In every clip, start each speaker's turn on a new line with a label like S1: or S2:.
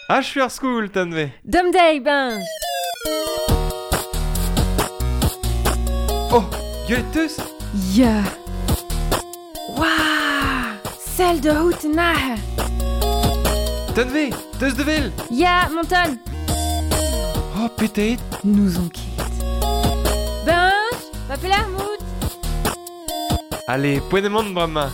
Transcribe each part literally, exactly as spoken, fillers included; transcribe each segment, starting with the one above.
S1: Achu ar skoul, tanve.
S2: Dom dei, benj.
S1: Oh, gwelet teus?
S2: Ya. Waouh! Sell de hout nahe.
S1: Tanve, teus de vel?
S2: Ya, monton.
S1: Oh, petet.
S2: Nous on ket. Benj, va pelar mout.
S1: Allez, poent emaon bremañ.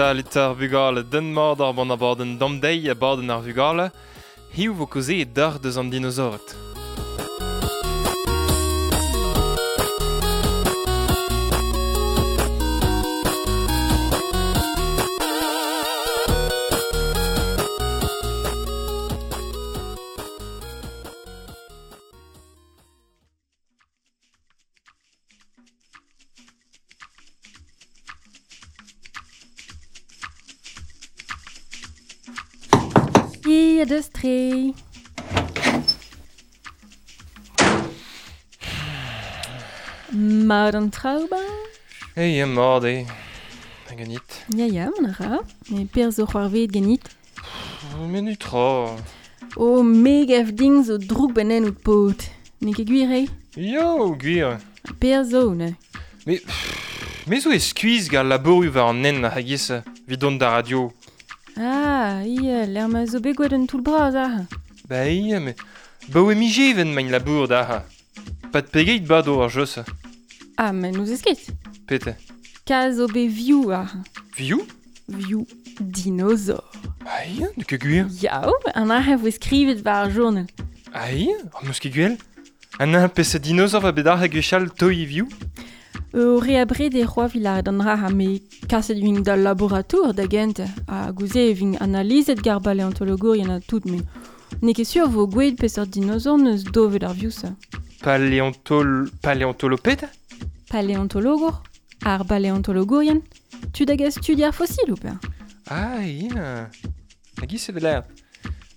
S1: Salut ar vugale, den mord ar ban abadenn damdeiz abadenn ar vugale, hiziv vo kaozeet d'ar deus an dinosaored.
S2: Ia deus tre. Mat an traoù, Benj?
S1: Ei, mat eo. Hag ganit?
S2: Ya, ya, mont a ra. Me per zo c'hoarveet ganit?
S1: Me netra.
S2: Oh, me gav din zo droug benen out paotr. N'eo ket gwir eo?
S1: Ya, gwir.
S2: Per zo, ne.
S1: Me, me zo e skuizh gant labourioù war an hent a-giz evit dont d'ar radio.
S2: Ah, ia, l'er ma zo bet gwelet un toull bras aze.
S1: Ba ia, me baoe mijeven main labour da. Pat pegeit bado ar jeu-se.
S2: Ah, mais nous eus ket.
S1: Pete.
S2: Ka zo bet vioù aze.
S1: Vioù?
S2: Vioù dinosaur.
S1: Ah ia, n'eo ket gwir.
S2: Yao, an aze voe skrivet war ar journal.
S1: Ah ia, oh, meus ket gwell. An un peseurt dinosaur va bet aze gwechall toi vioù?
S2: Ur re abred e c'hoa vilad an ra me kaset vin d'al laboratour da gent ha gouze e vin analizet gar baleontologourien a tout me. N'eo ket sur vo gwelet peseurt dinosaur neus dovet ar vioù-se.
S1: Paléontol... paléontoloped?
S2: Paléontologour, ar baleontologourien, tud hag a studi ar fosil ou pe?
S1: Ah ia, hag i se veler.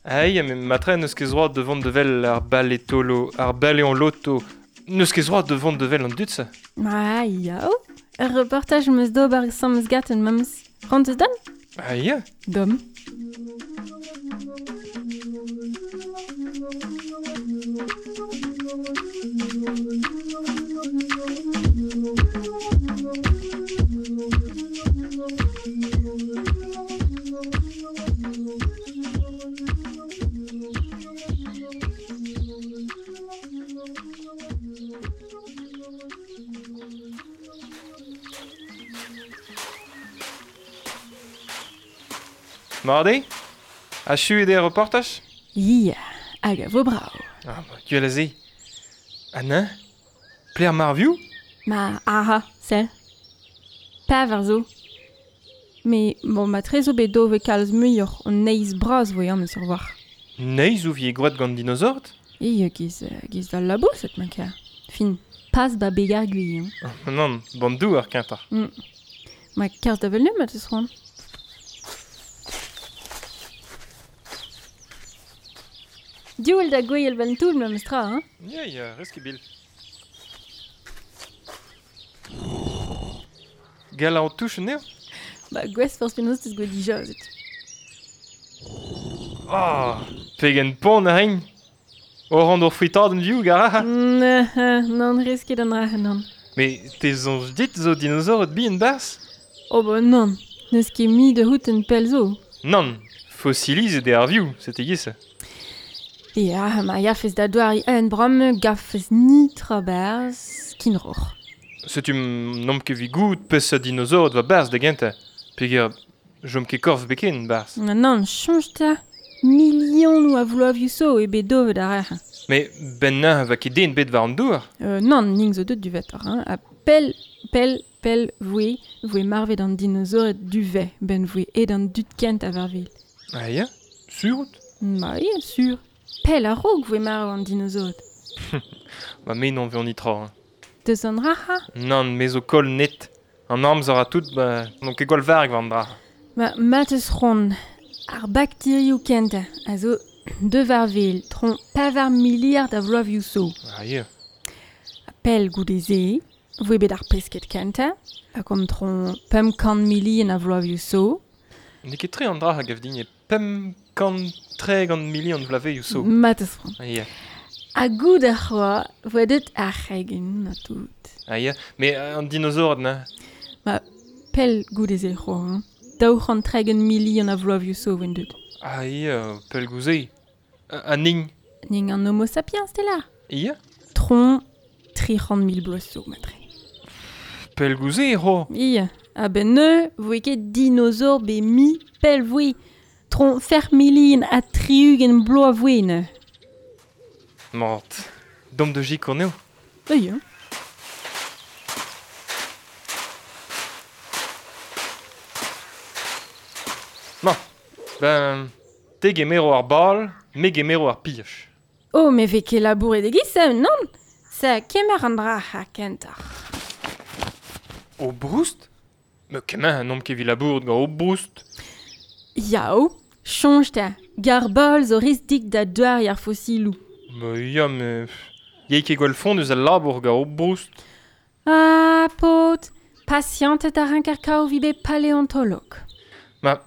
S1: Ah ia, me matre n'eus ket zroad de vont de vel ar balétolo... ar baléonloto... N'eus ket zroad de vont de vel an dud-se?
S2: Ah, yao. Ur reportaj meus d'ober sammes gaten memes. Rant eus dan?
S1: Ah, ya.
S2: Dom.
S1: Mat eo? Achu eo ar reportaj?
S2: Ya, hag a vo brav.
S1: Ah, ba, gwell a se. Ha neuze? Pler mar vioù?
S2: Ma, aha, sell. Pevar zo. Me, bon, ma tre zo bet dove kalz muioc'h an neizh bras vo eo sur war.
S1: Neizh ou vie gwraet gant dinosaored?
S2: Ia, giz, giz d'al labouset, ma kar. Fin, pas ba begar gui, hein.
S1: Oh, non, ban douar kentoc'h.
S2: Mm. Ma kerzh da vel nemet eus c'hoant. Diouel da gwell ben toull memes tra, hein?
S1: Ya, ya, rez ket bil. Gall an touch anezho?
S2: Ba, gwez forzh penaos teus gwell dija, zet.
S1: Oh, pegen pont a rin. Oran d'ur fritadenn vioù, gara.
S2: Nann, rez ket an ra, nann.
S1: Me te soñj dit zo dinosaored bihan barzh?
S2: Oh ba nann, n'eus ket mi de hout en pell zo.
S1: Nann, fosilizet eo ar vioù, sete giz.
S2: Ya, ma gafez da doari un bramm gafez nitra barzh kinroc'h.
S1: Setu n'omp ket evit goût peseurt dinosaored va barzh da gentañ. Peogwir jom ket korf beken barzh.
S2: Nann, nann, soñj 'ta. Milionoù a vloavioù zo eo bet dovet ar rec'h.
S1: Mais ben neuze va ket den bet war an douar.
S2: Euh, nann, ning zo deut du vetor, hein. Ha pell, pell, pell voe, voe marvet an dinosaored du ve, ben voe ed an dud kent a varvel.
S1: Ah ya, sur out?
S2: Ma ya, sur. Pell a-raok voe marv an dinosaored.
S1: Ba me n'on veont nitra. Hein.
S2: Deus an raha?
S1: Nann, me zo koll net. An amzer a tout, ba n'on ket gwall varg war an dra.
S2: Ma matez c'hoant, ar bakterioù kentañ a zo deus ar vel, tron pevar miliard a vloavioù zo.
S1: Ah ya.
S2: Pel goude se, voe bet ar pesket kentañ, a komtron pemp kant milion a vloavezhioù zo.
S1: N'eo ket tre an dra a gav din e pemp kant tregont milion vloavezhioù zo.
S2: Mat eus franc.
S1: Ah, ya.
S2: Ha goud ar c'hoa, voe deut ar c'hegen a tout.
S1: Ah ya, mais an dinosaur na.
S2: Ma pel goude se c'hoa, hein. Daou c'hant tregont milion a vloavezhioù zo voen deut.
S1: Ah ya, pel gouze. A ning.
S2: Ning an homo sapiens, te là.
S1: Ya.
S2: Tron tri c'hant mil bloaz zo, matre.
S1: Pel gouze, ho.
S2: Ya, a ben ne, voe ket dinosaur be mi pel voe. Tron fer milin a tri-ugent bloaz voe ne.
S1: Mort. Dom de jik on eo.
S2: Ya.
S1: Ma, ben, te gemero ar bal, me gemero ar pioch.
S2: Oh, me ve ket labouret e-giz, non? Sa kemer an dra ha kentoc'h.
S1: O broust? Me kemer an omp ket vi labouret gant o broust.
S2: Yao, chonj ta, gar bal zo riz dik da douar ar fosilou.
S1: Me ya, me... Yei ket gwell fond eus al labour gant o broust.
S2: Ah, paotr, pasiantet a rank ar kao vi bet paléontolog.
S1: Ma,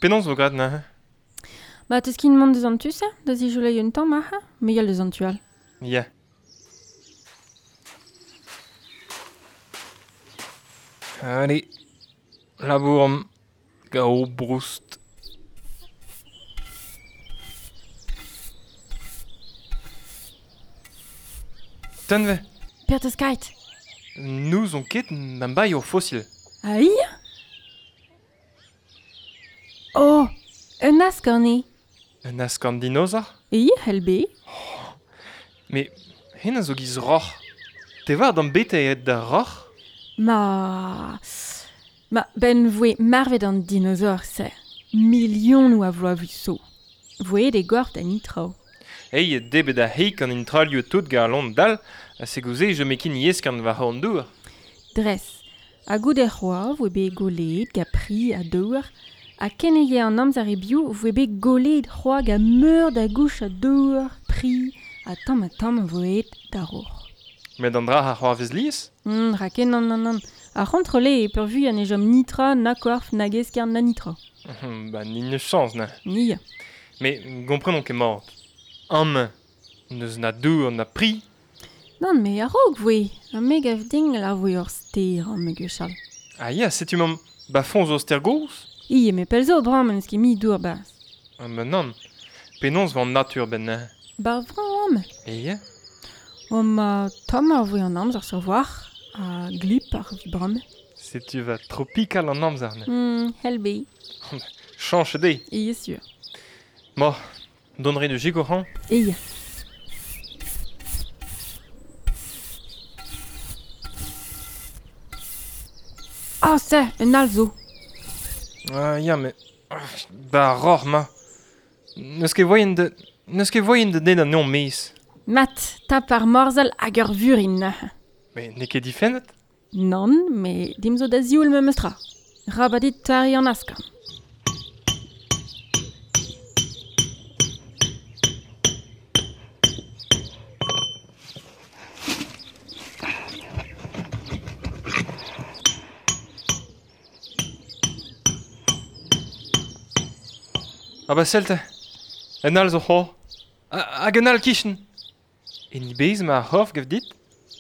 S1: penaos vo graet na?
S2: Ba, teus kin mont deus an tu, se? Da zijolei un tamm, aha? Me yal deus an tu all.
S1: Ya. Allez, labour am gao broust. Tenve.
S2: Per teus kait.
S1: Nous on ket n'am bai ur fosil.
S2: Ah ia? Oh, un askorn eo.
S1: Un askorn dinosaur?
S2: Ia, helbe.
S1: Oh, mais hen a zo giz roc'h. Te war d'am bete eo da roc'h?
S2: Ma... Ma, ben voe marvet an dinosaur se. Milionoù a vloavezhioù zo. Voe de gorf da nitrao.
S1: Ei, debet a heik an intralioù tout ga lont dal, a se gouze je mekin yeskan war an dour.
S2: Dres, a goude c'hoa voe bet golet ga pri a dour, a kenege an amzer e biou voe bet golet c'hoa ga meur da gouch a dour, pri, a tamm a tamm voe da roc'h.
S1: Met an dra ar c'hoa vez lies?
S2: Mm, ra ken an an an. Ar c'hontrole e peurvu an e jom nitra, na korf, na geskern, na nitra.
S1: Ba, ni neus chans, na.
S2: Ni.
S1: Mais gomprenon ket mort. Am, neus na dour na pri.
S2: Non, me a-raok voe. A me gav ding la voe ur ster an me gwechall.
S1: Ah ya, setu mam ba foñs ur ster gozh?
S2: Ie, me pell zo bram en eus ket mi dour bas.
S1: Ah ben non. Penaos van natur ben na.
S2: Bar vran am.
S1: E ya?
S2: O ma tamm ar voe an amzer sur war, a glip ar bram.
S1: Setu va tropical an amzer ne.
S2: Mm, helbe.
S1: Chanch de.
S2: Ie, sur.
S1: Mo, donnerai de gigo han?
S2: Ie. Ah, se, un all zo.
S1: Ah, ya, mais... Ba, roc'h, ma. N'eus ket voien de... N'eus ket voien de den an eon mez.
S2: Mat, tap ar morzhal hag ur vurin.
S1: Mais n'eo ket difennet?
S2: Nann, me dim zo da zioul memes tra. Rabadit tari an askan.
S1: Ah ba sell te, un all zo c'ho. Hag un all kichen. En i bez ma ar c'horf gav dit?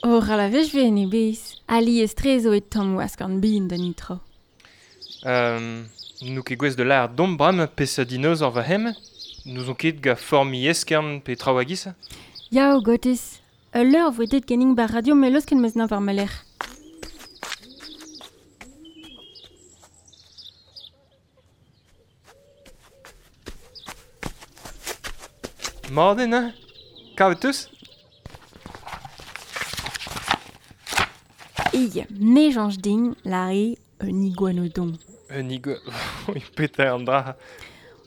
S2: O ra la vech ve en i bez. Ali estre zo e tamm askorn bin da nitra.
S1: Euh, nou ket gwez de l'ar dom bram pes a dinosaur va hem. Nous on ket ga formi eskern pe traoù a giz.
S2: Yao, gotez. Ul leur voe det genning bar radio me leusken meus nav ar meler.
S1: Morden, hein? Kavet teus?
S2: Ie, ne janj din lare un iguanodon.
S1: Un igu... Oui, peter an dra.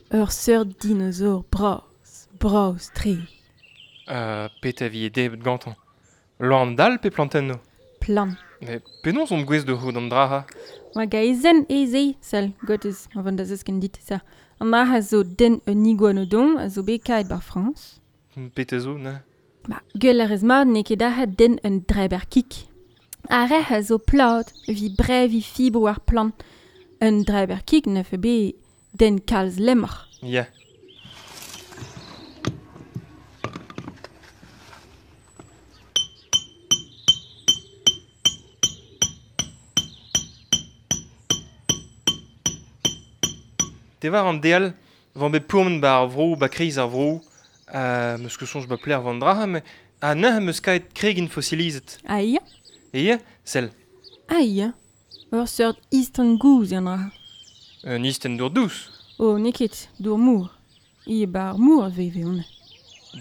S2: Ur seurt dinosaur bras, bras tre.
S1: Euh, peter vi e debet gantañ. Loan dal pe plantenno?
S2: Plan.
S1: Mais penaos on gwez de c'hout an dra ha?
S2: Oa gaezen e ze, sell, gotez, a vant da zesken dit sa. An dra a zo den un iguanodon a zo bet kaet bar Frañs.
S1: Peter zo, ne?
S2: Ba, gwell ar ez mat n'eo ket ahet den un dreber kik. Ar rec'h a zo plat, vi brevi fibro ar plant. Un dreber kik ne fe be den kalz lemmoc'h.
S1: Ya. Te war an deal, van bet pourmen ba ar vro, ba kreiz ar vro, euh, meus ket soñj ba pler van dra, me a neuze meus kaet kregin fosilizet.
S2: Ah ya?
S1: E ya, sell.
S2: Ah ya. Ur seurt istan gouz an dra.
S1: Un isten dour dous.
S2: Oh, n'eo ket, dour mour. I ba ar mour veve on.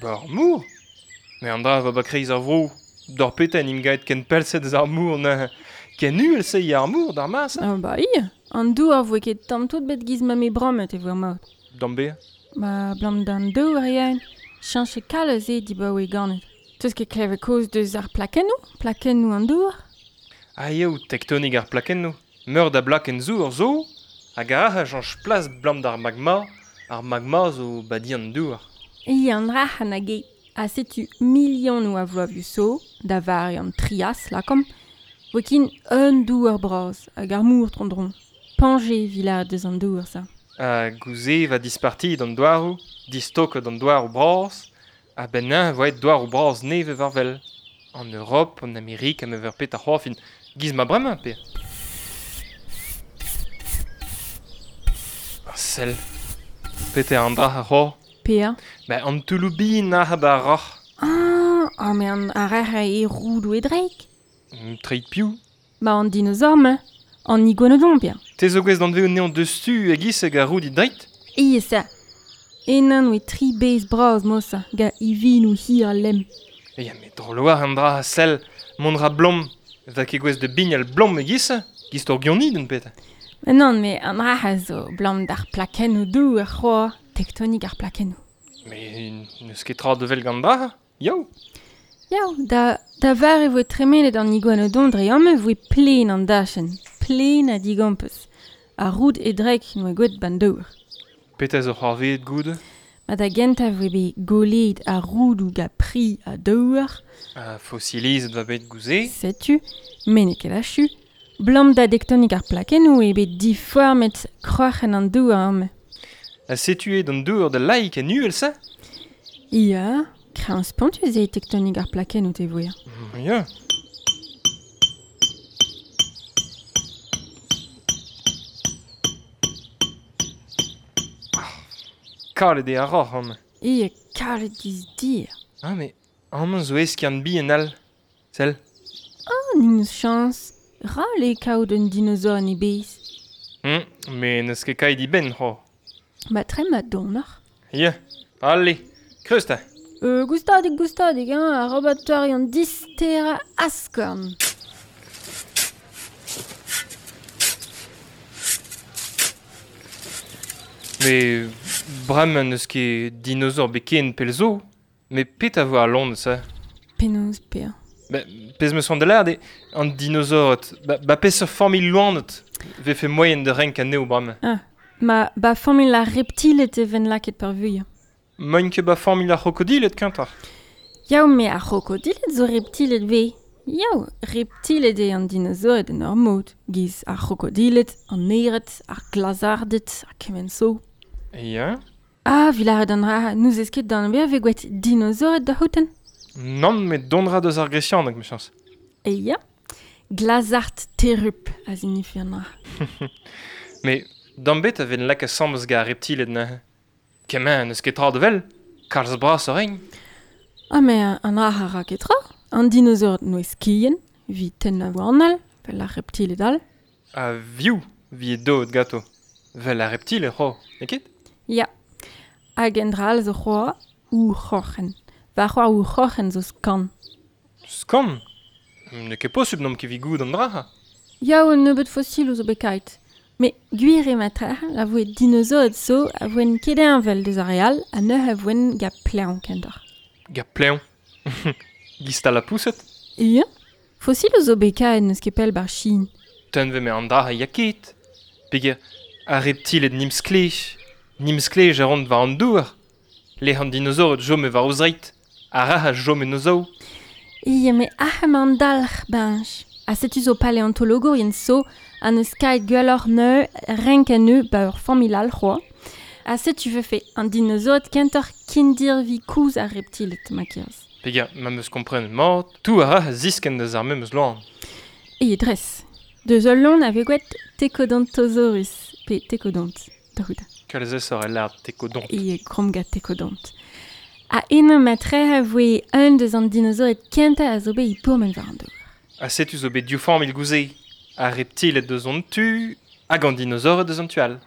S1: Ba ar mour? Me an dra va ba kreiz ar vro. D'ar peta en im gaet ken pelset eus ar mour neuze. Ken uhel se i ar mour d'ar mas?
S2: Ah ba ia. An dour voe ket tamm tout bet giz ma me brammet e voe maout.
S1: D'am be?
S2: Ba blam d'an dour yaen. Chañche kalz eo dibaoe ganet. Teus ket klevet koz deus ar plakennoù? Plakennoù an dour?
S1: Ah eo, tektonik ar plakennoù. Meur da blakenn zour zo, hag ar a chañch plas blam d'ar magma, ar magma zo badi an dour.
S2: Ia an rac'h an hag e. Ha setu milionoù a vloavioù so, da vari an trias, lakom, voe kin un dour bras hag ar mour tron-dron. Panje vila deus an dour, sa.
S1: Ha gouze va disparti d'an douaroù, distok d'an douaroù bras, ha ben nain voe douaroù bras neve war vel. En Europe, en Amerik, ha me ver pet ar c'hoafin, giz ma bremañ pe. Ah, sell. Pet eo an dra ar c'hoar.
S2: Pea?
S1: Ba an touloubin ar ba ar roc'h.
S2: Ah, ah me an ar rec'h e roudou e dreik.
S1: Treid piou?
S2: Ba an dinosaur me. An iguanodon, pia.
S1: Te zo gwez d'an veo neon deus tu hag is hag ar roud i dreit?
S2: Ie sa. Enan oe tri bez bras mosa, ga ivinoù hir a lem.
S1: Ya me droloar an dra a sell, mont ra blom. Va ket gwez de bign al blom hag is, giz tor gioni d'un pet.
S2: Mais non, me an ra a zo blom d'ar plakennoù dou ar c'hoar, tektonik ar plakennoù.
S1: Mais n'eus ket tra de vel gant dra, yaou.
S2: Yaou, da, da var e voe tremenet an iguanodon dre amañ voe plen an dachenn, plen a digampez. A roud e drek n'oe gwet ban dour.
S1: Pet a zo c'hoarveet goude?
S2: Ma da gentañ voe bet golet a roudoù ga pri a dour.
S1: A fosilizet va bet gouze.
S2: Setu, me n'eo ket achu. Blam da dektonik ar plakennoù eo bet diformet kroc'hen an dour amañ.
S1: Ha setu eo d'an dour da laik en uhel sa?
S2: Ya, kreñv spontus eo tektonik ar plakennoù te voe.
S1: Ya. Kalet eo ar roc'h amañ.
S2: Ia, kalet giz dir.
S1: Ah, mais amañ zo eskiant bihan all. Sell.
S2: Ah, n'eus chañs. Ral eo kaout un dinosaur en e bez.
S1: Hmm, mais n'eus ket kaet i benn, c'ho.
S2: Ba tre ma donoc'h.
S1: Ya, allez, kreuz ta.
S2: Euh, goustadik, goustadik, hein, ar robatoire an distera askorn.
S1: Mais bremañ n'eus ket dinosaur bet ken pell zo. Mais pet a vo ar lon sa?
S2: Penaos pea.
S1: Ba, pezh meus c'hoant da lâret eo an dinosaurot. Ba, ba peseurt familh loened vefe moaien da renk anezho bremañ.
S2: Ah, ma ba familh ar reptiled e ven lakaet peurvuiañ.
S1: Moaien ket ba familh ar c'hrokodilet kentoc'h.
S2: Yaou, me ar c'hrokodilet zo reptiled ve. Yaou, reptiled eo an dinosaured en ur mod. Giz ar c'hrokodilet, an ered, ar glazarded, ar kement zo.
S1: Ya.
S2: Ah, vilaret an ra, nous ez ket d'an ber ve gwet dinosaured da c'houten.
S1: Nann, met dont ra deus ar gresianeg, me chañs.
S2: E ya, glazard terrup a zinifi an ra.
S1: Mais d'an bet a ven lak asambles ga ar reptiled neuze. Kement n'eus ket tra de vel, kalz bras a regn.
S2: Ah, mais an ra a ra ket tra. An dinosaur noe skien, vi tenn a warnal, vel ar reptiled all.
S1: A viou, vi e doet gato. Vel ar reptiled, c'ho, n'eo ket?
S2: Ya. Hag en dra all zo c'hoa, ou c'horc'hen. Va c'hoar ou c'horc'hen zo skan.
S1: Skan? N'eo ket posubl n'omp ket vi goud an dra.
S2: Yaou, un nebeud fosil zo bet kaet. Mais gwir eo ma la voe dinosaur zo a voen ket envel deus ar re all ha neuze a voen ga pleñv kentoc'h.
S1: Ga pleñv? Giz la pouset?
S2: Ya. Fosil zo bet kaet n'eus ket pell bar Chine.
S1: Tenn ve me an dra a ya ket. Peger ar reptiled nim sklej. Nim sklej a ront war an dour. Lec'h an dinosaur jom e war o zreit. Ar a jom en zo.
S2: Ie, me ahem an dalc'h bench. A setu zo paleontologourien so an eus kaet gwelloc'h neu renk an eu ba ur familh all c'hoa. A setu vefe an dinosaurod kentoc'h kindirvi kouz ar reptilet, ma kerz.
S1: Peger, ma meus kompren mat, tout a ra a zisken deus ar memes loan.
S2: Ie, dres. Deus ul loan a vez gwet Thecodontosaurus, pe Thecodont, da c'hout.
S1: Kalz ez ur lard Thecodont.
S2: Ie, kromgat Thecodont. A eno matre a voe un deus an dinosaurod kentañ a zo bet e pourmen war an dour.
S1: A setu zo bet div familh gouze. Ar reptilet deus an tu, hag an dinosaurod deus an tu all.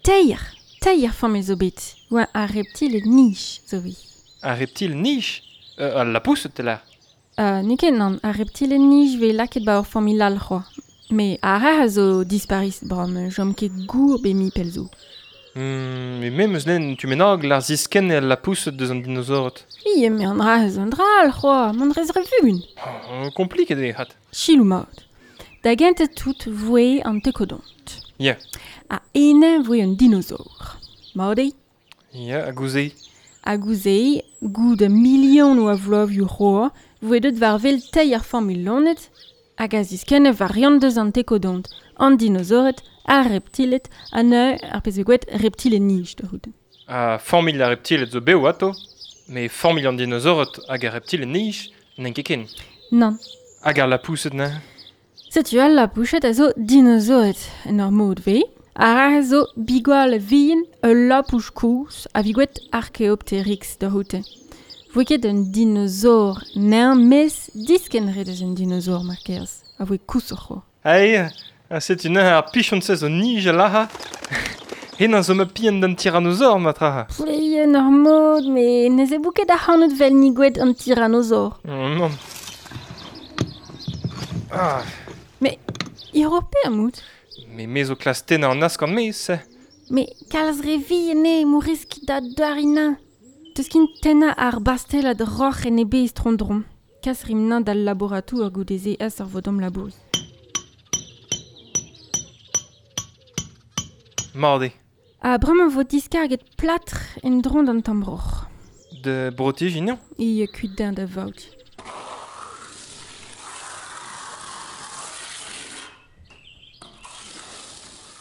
S2: Teir, teir familh zo bet. Oa ar reptilet nij zo vi.
S1: Ar reptil nij? Euh, al lapoused te lar.
S2: Euh, n'eo ket nann, ar reptilet nij vez lakaet ba ur familh all c'hoa. Me ar a zo disparis bram, jom ket gour be mi pel zo.
S1: Hmm, me meus len tu menag lar zisken el lapoused deus an dinosaurod.
S2: Ie, me an ra zo an dra al c'hoa, m'an rez revugun.
S1: Oh, kompliket eo hat.
S2: Chilou mat. Da gentañ tout voe an Thecodont.
S1: Ya.
S2: A ene voe un dinosaur. Mat eo?
S1: Ya, a gouze.
S2: A gouze, goud a milion oa vloavioù c'hoa, voe deut war vel teir familh lonet, hag a ziskenne variant deus an Thecodont, an dinosaured, ar reptilet, ha neu ar pezh gwet reptilet nij da c'hout.
S1: A familh ar reptilet zo bev ato, me familh an dinosaured hag ar reptilet nij n'en ket ken.
S2: Nann.
S1: Hag ar lapoused neuze?
S2: Setu al lapoused a zo dinosaured en ur mod vez. Ar a zo bigwal vihan ul lapouch kouz a vigwet Archaeopteryx da c'houte. Voe ket un dinosaur n'en mes disken ret eus un dinosaur mar kerz, a voe kousoc'h c'ho.
S1: Ai, a setu neuze ar pichon se zo nij a laha. Hen an zo ma pihan d'an tyrannosaure ma traha.
S2: Plei en ur mod, me ne ze bouket ar c'hanout vel ni gwet an tyrannosaure.
S1: Oh, non. Ah.
S2: Mais, Europe amout.
S1: Me me zo klas tennañ an askant mez, se.
S2: Me kalz re vi ene mourisk da darina. Teus kin tennañ ar bastelad roc'h en e bez tron-dron. Kas rimnañ d'al laboratour goudeze as ar vodom labouri.
S1: Mat eo.
S2: A bremañ vo diskarget plâtr en dron d'an tamm roc'h.
S1: De brotiji, non?
S2: E kuit din da vaout.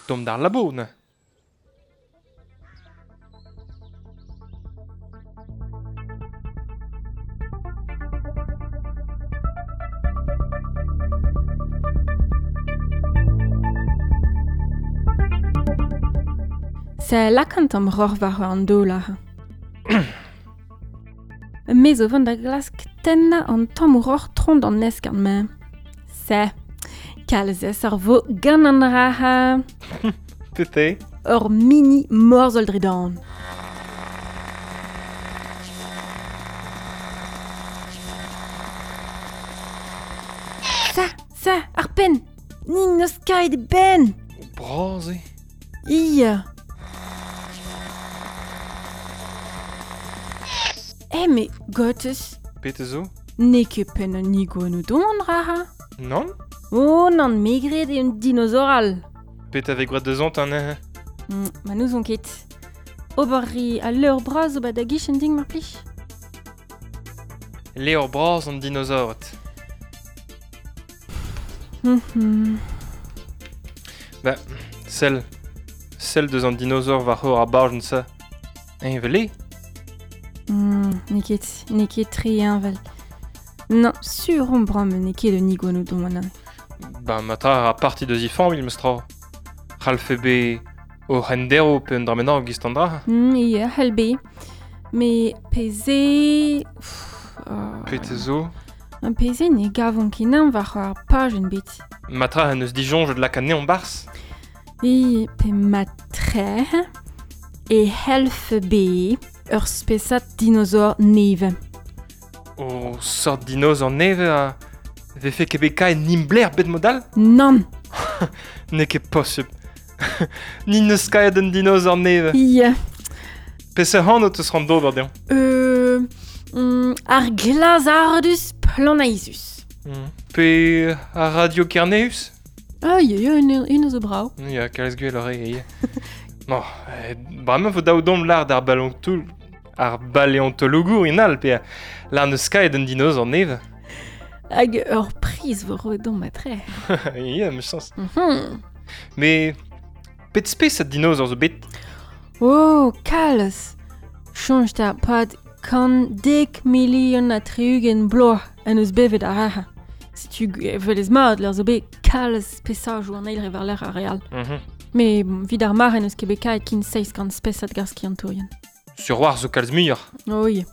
S1: Dom d'ar labo, neuze.
S2: Se lakant am roc'h war an daol aze. Me zo vont da glask tennañ an tamm roc'h tron d'an eskern ma. Se, kalz ez ar vo gant an raha.
S1: Tete.
S2: Ur mini morzhol dre dan. Sa, sa, ar penn. Nin n'eus kaet e benn.
S1: Bras eo.
S2: Ia. Eh, me gottes.
S1: Pete zo?
S2: N'eo ket penn an iguanodon an raha.
S1: Non?
S2: Oh, nann, me gred eo un dinosaur all.
S1: Pet a vez gwraet deus an neuze?
S2: Mm, ma n'ouzon ket. Ober ri al leur bras zo ba da gichen ding mar plij.
S1: Levr bras an dinosaured.
S2: Mm-hmm.
S1: Ba, sell. Sell deus an dinosaur war c'hor ar barjenn sa. Eñ vel eo?
S2: Mm, n'eo ket, n'eo ket tre heñvel. Non, sur on bram n'eo ket un iguanodon an.
S1: Ba, ma tra ar parti deus i familh meus tra. C'hallfe be o c'hendero pe un dra bennak gist an dra.
S2: Mm, ie, c'hell be. Me peze... Pff, uh,
S1: Pete zo?
S2: An peze ne gavon ket nañ war ar pajenn bet.
S1: Ma tra an eus disoñjet lakaat anezhañ barzh.
S2: E pe ma tre e c'hellfe be ur spesad dinosaur neve.
S1: O sort dinosaur neve a vefe ket bet kaet nimbler bet modal?
S2: Nann.
S1: N'eo ket posubl. Ni n'eus kaet un dinosaur neve.
S2: Ie.
S1: Peseurt anv teus c'hoant d'ober dezhañ?
S2: Euh, mm, ar glazardus planaizus.
S1: Mm. Pe ar radio Kerneus?
S2: Ah, ie, ie, un, un zo brav.
S1: Ya, kalz gwell eo, ie. Bon, eh, bremañ vo daou dom lard ar ballon toull. Ar baleontologourien all pe la neus kaet un dinosaur neve.
S2: Hag ur priz vo roet d'omp matre.
S1: Ya, me chans.
S2: Mm -hmm.
S1: Mais pet spes a dinosaur zo bet?
S2: Oh, kalz! Soñj ta pad kant dek milion ha tri-ugent bloaz en eus bevet ar raha. Setu velez mat l'ur zo bet kalz spesajoù an eil re war-lerc'h ar re all.
S1: Mm -hmm.
S2: Mais bon, vid ar mare n'eus ket bet kaet kin seizh kant spesad gar skiantourien.
S1: Sur war zo kalz muioc'h.
S2: Oh, oui.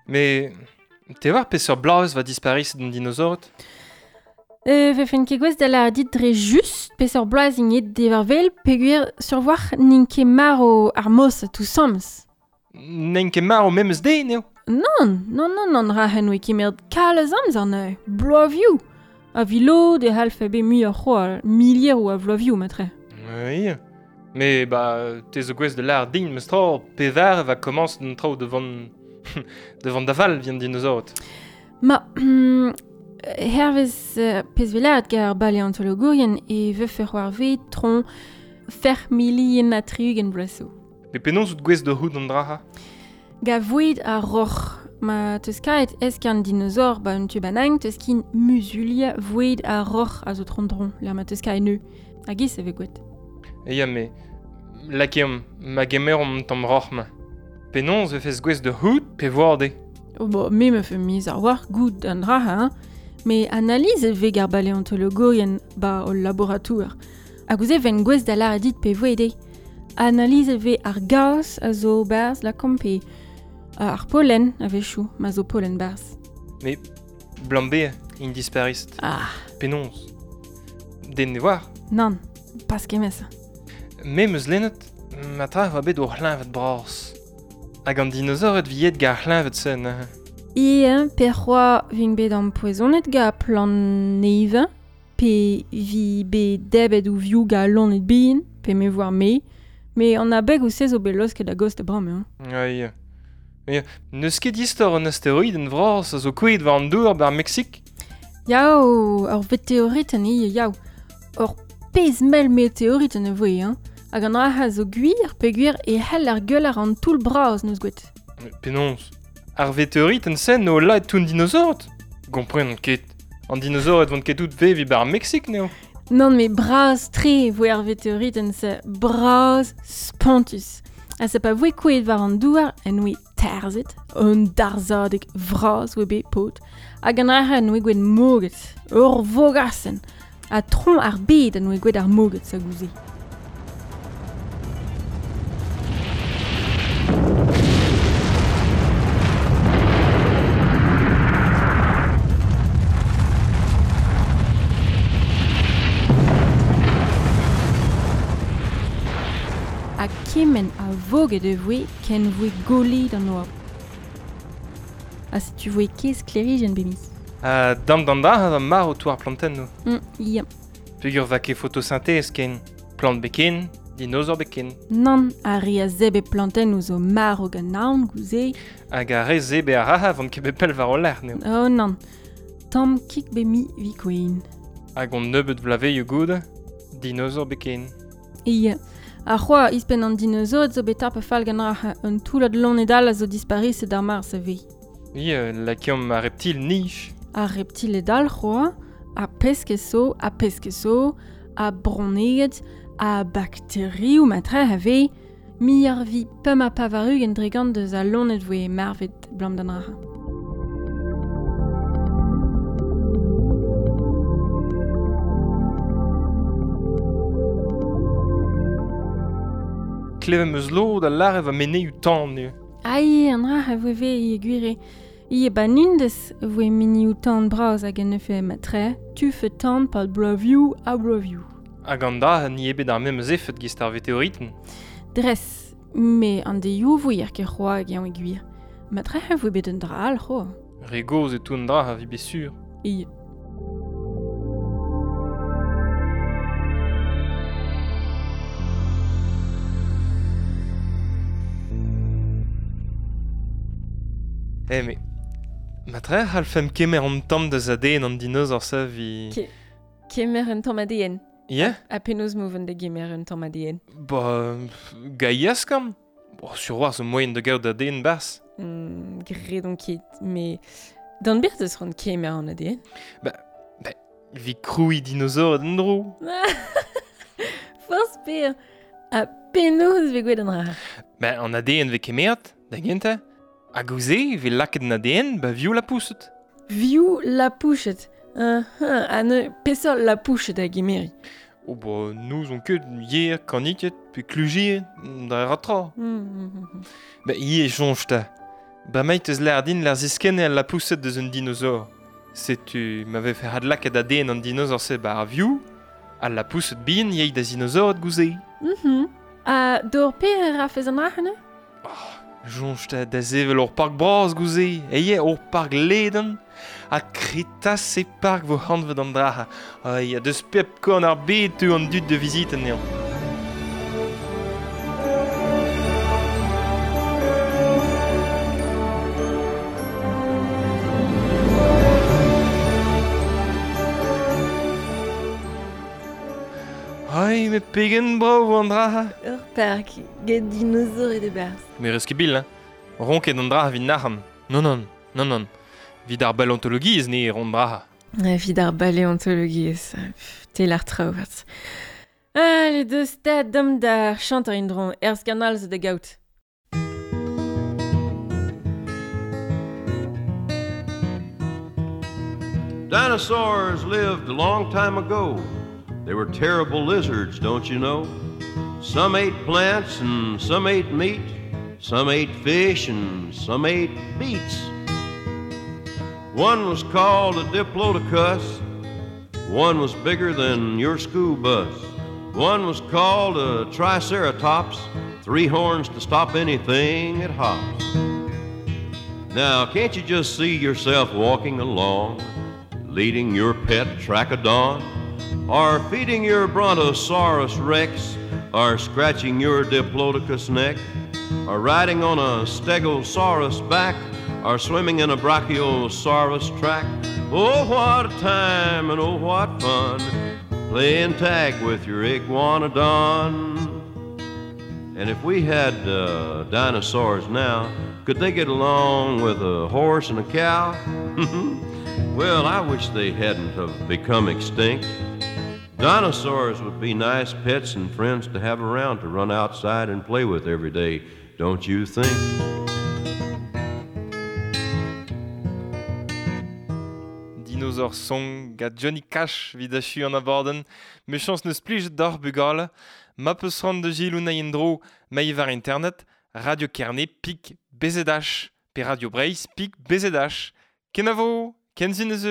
S1: Mais te war peseurt bloaz va dispariset an dinosaurot?
S2: Euh, vefen ket gwez da la dit dre just peseurt bloaz int aet devar-wel peogwir sur war n'int ket marv ar mos tout sams.
S1: N'int ket marv memes den eo?
S2: Non, non, non, non, ra hen oe kemeret kalz amzer neuze, bloavioù. A vilod e c'hallfe bet muioc'h c'hoazh, milieroù a vloavioù matre.
S1: Oui, mais ba te zo gwez da lâr din meus tra pevar va komañs d'an traoù devant devant daval vient dinosaurot.
S2: Ma, hmm, hervez uh, pezh gar baleontologourien e vefe c'hoarvezet tron fer milien ha tri-ugent bloaz zo.
S1: Mais penaos out gwez da c'hoût an dra-ha?
S2: Ga voed ar roc'h. Ma teus kaet eskern dinosaur ba un tu banang teus kin muzulia voed ar roc'h a zo tron-dron, l'ar ma teus kaet neu. Hag ez e ve gwet.
S1: E ya, me lakeomp, ma gemeromp tamm roc'h ma. Penaos vefez gwez da c'hoût pe voar de?
S2: Oh bo, me me fe miz ar war goût an dra hein. Mais analyse e vez gar baleontologourien ba ol laboratour. Hag ouzh e ven gwez da lâret dit pe voe de. Analyse e vez ar gaz a zo barzh la kompe ar pollen a-wechoù ma zo pollen barzh.
S1: Mais blambe int disparist.
S2: Ah.
S1: Penaos. Den ne war?
S2: Nann, pas kemesa.
S1: Me meus lennet, ma tra oa bet o c'hleñved bras. Hag an dinosaurod viet gar c'hleñved sen.
S2: E pe c'hoa vin bet ampoezonet ga plant neve, pe vi bet debet ou viou ga lonet bihan, pe me voar me, me an abeg ou se zo bet losket a gost bram, hein.
S1: Oui. Oui. N'eus ket istor an asteroid en vras a zo kouet war an dour bar Meksik?
S2: Yao, ur veteoriten eo, yao. Ur pezh mell meteoriten e voe, hein. Hag an dra a zo gwir, pe gwir e c'hell ar gueul ar an toull bras neus gwet.
S1: Penaos? Ar veteoriten sen o laet tout an dinosaurot? Gompren ket. An dinosaurot vont ket tout vevi bar Meksik, neo?
S2: Non, mais bras tre voe ar veteoriten se bras spontus. Ha se pa voe kouet war an douar en oe terzet, un darzadeg vras oe bet paotr, hag an dra en oe gwet moget, ur vogasenn, ha tron ar bed en oe gwet ar moget sa gouze. Ha kement a voget e voe ken voe golet an oabl. Ha setu voe ket sklêrijenn bemiz.
S1: Ha dam d'an dra a marv o ar plantennoù.
S2: Mm, ya.
S1: Peogwir va ket photosynthèse ken, plant beken, dinosaur beken.
S2: Nann, ar re a zebe plantennoù zo marv gant naon gouze.
S1: Hag ar re zebe ar raha vont ket bet pell war o lerc'h neo.
S2: Oh nann, tamm kik be mi vi kouin.
S1: Hag on nebeut vlaveioù goude, dinosaur beken.
S2: Ya. Ar c'hoa ispenn an dinosaurod zo bet tap fall gant ar un toullad loened all a zo dispariset d'ar mars a vez.
S1: Oui, euh, lakeomp ar reptil nij.
S2: Ar reptiled all c'hoa, a pesk zo, a pesk zo, a bronneged, a bakterioù matre a vez, mi ar vi pemp ha pevar-ugent dre gant deus al loened voe marvet blam d'an raha.
S1: Klevet meus lod a lâret va meneioù tan eo.
S2: Ai, an dra a voe ve e gwire. Ie ba nindez voe minioù tan bras hag en efe matre, tufe tan pal bloavioù ha bloavioù.
S1: Hag an dra ni eo bet ar memes efed gist ar veteoriten.
S2: Dres, me an deioù voe ar ket c'hoa hag eñ e gwir. Matre a voe bet un dra all c'hoa.
S1: Re gozh e tout an dra a vi bet sur.
S2: Ie.
S1: Eh, mais Matre c'hallfemp kemer an tamm deus A D N an dinosaur se vi...
S2: Ke- kemer un tamm A D N.
S1: Yeah.
S2: Ha penaos moven da gemer un tamm A D N.
S1: Ba, gaias kam. Bo, sur war zo moyen da gaout A D N bas.
S2: Mm, gredon ket, me... D'an bir deus ran kemer an A D N.
S1: Ba, ba, vi kroui dinosaur d'an dro.
S2: Forz per. Ha penaos ve gwelet an ra.
S1: Ba, an A D N ve kemeret, da gentañ. Hag gouze, ve lakaet an A D N, ba viou la pouset.
S2: Viou la pouchet. Uh, uh, ha ne peseurt la pouchet a gemeri.
S1: Oh ba, nous on ket yer, kaniket, pe klujier, da ratra.
S2: Mm, mm, mm.
S1: Ba, yer soñj ta. Ba meit eus l'ardin l'ar ziskenne al la pouset deus un dinosaur. Setu ma vefe had lakaet A D N an dinosaur se ba ar viou, al la pouset bihan yei da dinosaur ad gouze.
S2: Mm-hmm. Ha d'or per a fez an rac'hane?
S1: Oh, soñj ta da sevel ur park bras gouze, eye ur park leden, ha kretas e park vo hanvet an draha. Ai, a deus pep korn ar bed teu an dud de vizit anezhañ. Ai, me pegen brav an draha.
S2: Ur park, get dinosaur e de barz.
S1: Me reus ket bil, hein. Ronket an draha vit nac'han. Non, non, non, non. Vid ar baleontologiezh ne ron draha.
S2: Vid ar baleontologiezh, tel ar traoù vat. Allez, deus ta dam da chanter indron, er skanal zo da gaout.
S3: Dinosaurs lived a long time ago. They were terrible lizards, don't you know? Some ate plants and some ate meat. Some ate fish and some ate beets. One was called a diplodocus. One was bigger than your school bus. One was called a triceratops. Three horns to stop anything it hops. Now, can't you just see yourself walking along, leading your pet trachodon, or feeding your Brontosaurus Rex, or scratching your Diplodocus neck, or riding on a Stegosaurus back, or swimming in a Brachiosaurus track? Oh, what a time and oh, what fun, playing tag with your iguanodon. And if we had uh, dinosaurs now, could they get along with a horse and a cow? Well, I wish they hadn't have become extinct. Dinosaurs would be nice pets and friends to have around to run outside and play with every day, don't you think?
S1: Dinosaur Song gant Johnny Cash vid achu an abadenn. Mechañs neus plijet d'ar bugale. Ma peus ran de gilou na endro ma war internet Radio Kerne pik B Z H pe Radio Breizh pik B Z H. Kenavo, kenzin eus.